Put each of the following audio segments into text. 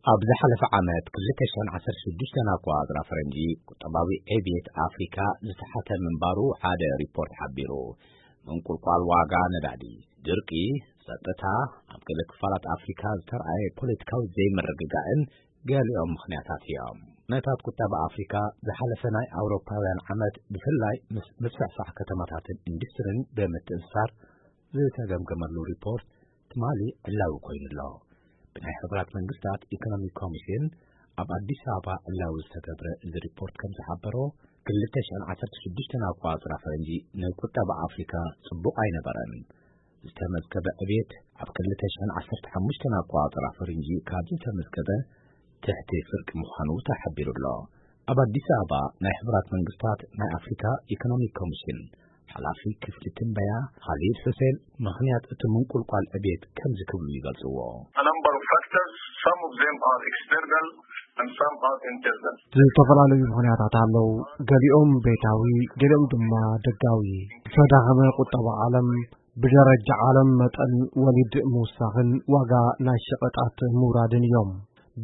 ኣብ ዝሓለፈ ዓመት ክልተ ሽሕን ዓሰርተ ሽዱሽተን ኣቆጻጽራ ፈረንጂ፣ ቁጠባዊ ዕብየት ኣፍሪካ ዝተሓተ ምንባሩ ሓደ ሪፖርት ሓቢሩ። ምንቁልቋል ዋጋ ነዳዲ፣ ድርቂ፣ ጸጥታ፣ ኣብ ገለ ክፋላት ኣፍሪካ ዝተርኣየ ፖለቲካዊ ዘይምርግጋእን ገሊኦም ምኽንያታት እዮም። ኩነታት ቁጠባ ኣፍሪካ ዝሓለፈ ናይ ኣውሮፓውያን ዓመት ብፍላይ ምስ ምስፍሕፋሕ ከተማታትን ኢንዱስትሪን ብምትእስሳር ዝተገምገመሉ ሪፖርት ትማሊ ዕላዊ ኮይኑ ኣሎ። ብናይ ሕቡራት መንግስታት ኢኮኖሚክ ኮሚሽን ኣብ ኣዲስ ኣበባ ዕላዊ ዝተገብረ እዚ ሪፖርት ከም ዝሓበሮ፣ ክልተ ሽሕን ዓሰርተ ሽዱሽተን ኣቆጻጽራ ፈረንጂ ንቁጠባ ኣፍሪካ ጽቡቕ ኣይነበረን። ዝተመዝገበ ዕብየት ኣብ ክልተ ሽሕን ዓሰርተ ሓሙሽተን ኣቆጻጽራ ፈረንጂ ካብ ዝተመዝገበ ትሕቲ ፍርቂ ምዃኑ ተሓቢሩ ኣሎ። ኣብ ኣዲስ ኣበባ ናይ ሕቡራት መንግስታት ናይ ኣፍሪካ ኢኮኖሚክ ኮሚሽን ሓላፊ ክፍሊ ትንበያ ኻሊድ ሑሴን ምኽንያት እቲ ምንቁልቋል ዕብየት ከምዚ ክብሉ ይገልጽዎ። A number of factors, some of them are external and some are internal. ዝተፈላለዩ ምኽንያታት ኣለዉ። ገሊኦም ቤታዊ፣ ገሊኦም ድማ ደጋዊ። ዝተዳኸመ ቁጠባ ዓለም፣ ብደረጃ ዓለም መጠን ወሊድ ምውሳኽን ዋጋ ናይ ሸቐጣት ምውራድን እዮም።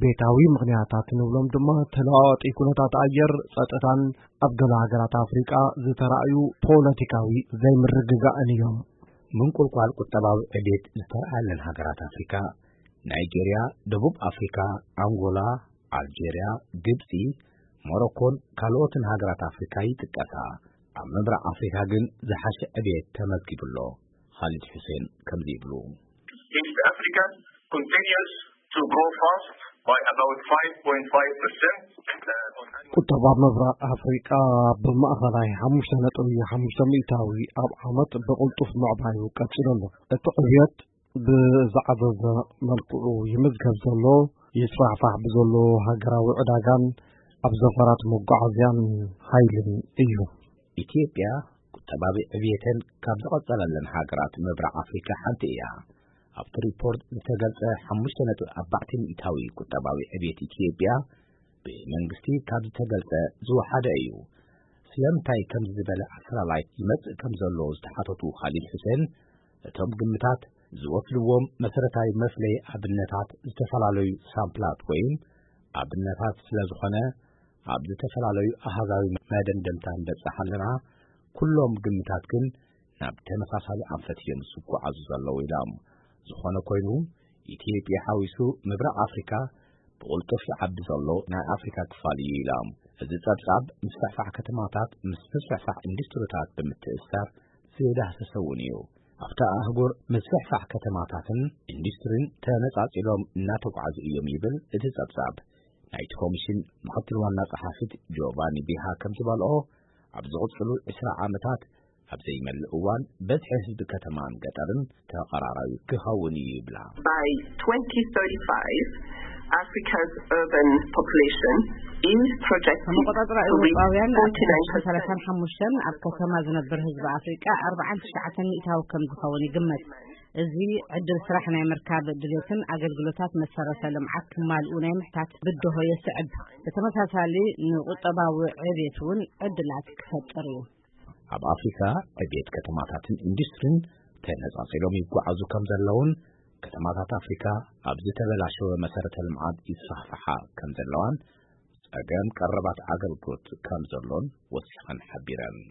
ቤታዊ ምኽንያታት ንብሎም ድማ ተለዋዋጢ ኩነታት ኣየር፣ ጸጥታን ኣብ ገለ ሃገራት ኣፍሪቃ ዝተራእዩ ፖለቲካዊ ዘይምርግጋእን እዮም። ምንቁልቋል ቁጠባዊ ዕቤት ዝተረኣየለን ሃገራት ኣፍሪካ፣ ናይጄርያ፣ ደቡብ ኣፍሪካ፣ ኣንጎላ፣ ኣልጄርያ፣ ግብፂ፣ ሞሮኮን ካልኦትን ሃገራት ኣፍሪካ ይጥቀሳ። ኣብ ምብራቕ ኣፍሪካ ግን ዝሓሸ ዕቤት ተመዝጊቡ ኣሎ። ኻሊድ ሑሴን ከምዚ ይብሉ። East Africa continues to grow fast by about five point five percent. ቁጠባ ምብራቕ ኣፍሪቃ ብማእኸላይ ሓሙሽተ ነጥቢ ሓሙሽተ ሚእታዊ ኣብ ዓመት ብቕልጡፍ ምዕባዩ ቀጺሉ ኣሎ። እቲ ዕብየት ብዝዓዘዘ መልክዑ ይምዝገብ ዘሎ፣ ይስፋሕፋሕ ብዘሎ ሃገራዊ ዕዳጋን ኣብ ዘፈራት መጓዓዝያን ሓይልን እዩ። ኢትዮጵያ ቁጠባዊ ዕብየተን ካብ ዝቐጸለለን ሃገራት ምብራቕ ኣፍሪካ ሓንቲ እያ። ኣብቲ ሪፖርት ዝተገልጸ ሓሙሽተ ነጥቢ ኣርባዕተ ሚእታዊ ቁጠባዊ ዕብየት ኢትዮጵያ ብመንግስቲ ካብ ዝተገልጸ ዝወሓደ እዩ። ስለምንታይ ከምዚ ዝበለ ኣፈላላይ ይመጽእ ከም ዘሎ ዝተሓተቱ ኻሊድ ሑሴን፣ እቶም ግምታት ዝወስድዎም መሰረታዊ መፍለዪ ኣብነታት ዝተፈላለዩ ሳምፕላት ወይም ኣብነታት ስለ ዝኾነ፣ ኣብ ዝተፈላለዩ ኣሃዛዊ መደምደምታ ንበጽሕ ኣለና። ኩሎም ግምታት ግን ናብ ተመሳሳሊ ኣንፈት እዮም ዝጓዓዙ ዘለዉ ኢሎም። ዝኾነ ኮይኑ፣ ኢትዮጵያ ሓዊሱ ምብራቕ ኣፍሪካ ብቕልጡፍ ይዓቢ ዘሎ ናይ ኣፍሪካ ክፋል እዩ ኢሎም። እዚ ጸብጻብ ምስፍሕፋሕ ከተማታት ምስ ምስፍሕፋሕ ኢንዱስትሪታት ብምትእስሳር ዝዳህሰሰ እውን እዩ። ኣብታ ኣህጉር ምስፍሕፋሕ ከተማታትን ኢንዱስትሪን ተነጻጺሎም እናተጓዓዙ እዮም ይብል እቲ ጸብጻብ። ናይቲ ኮሚሽን ምኽትል ዋና ጸሓፊት ጆቫኒ ቢሃ ከም ዝበልኦ፣ ኣብ ዝቕጽሉ ዕስራ ዓመታት ኣብ ዘይመልእ እዋን በዝሒ ህዝቢ ከተማን ገጠርን ተቐራራቢ ክኸውን እዩ ይብላ። By twenty thirty-five, Africa's urban population is projected ከመቆጻጽራ to reach ኤውሮጳውያን ኣብ forty-nine percent. ክልተ ሽሕን ሰላሳን ሓሙሽተን ኣብ ከተማ ዝነብር ህዝቢ ኣፍሪቃ ኣርባዓን ትሽዓተን ሚእታዊ ከም ዝኸውን ይግመት። እዚ ዕድል ስራሕ ናይ ምርካብ ድሌትን ኣገልግሎታት መሰረተ ልምዓት ክማልኡ ናይ ምሕታት ብድሆ የስዕብ። ብተመሳሳሊ ንቁጠባዊ ዕብየት እውን ዕድላት ክፈጥር እዩ። ኣብ ኣፍሪካ ዕብየት ከተማታትን ኢንዱስትሪን ተነጻጺሎም ይጓዓዙ ከም ዘለውን፣ ከተማታት ኣፍሪካ ኣብ ዝተበላሸወ መሰረተ ልምዓት ይስፋሕፍሓ ከም ዘለዋን፣ ጸገም ቀረባት ኣገልግሎት ከም ዘሎን ወሲኸን ሓቢረን።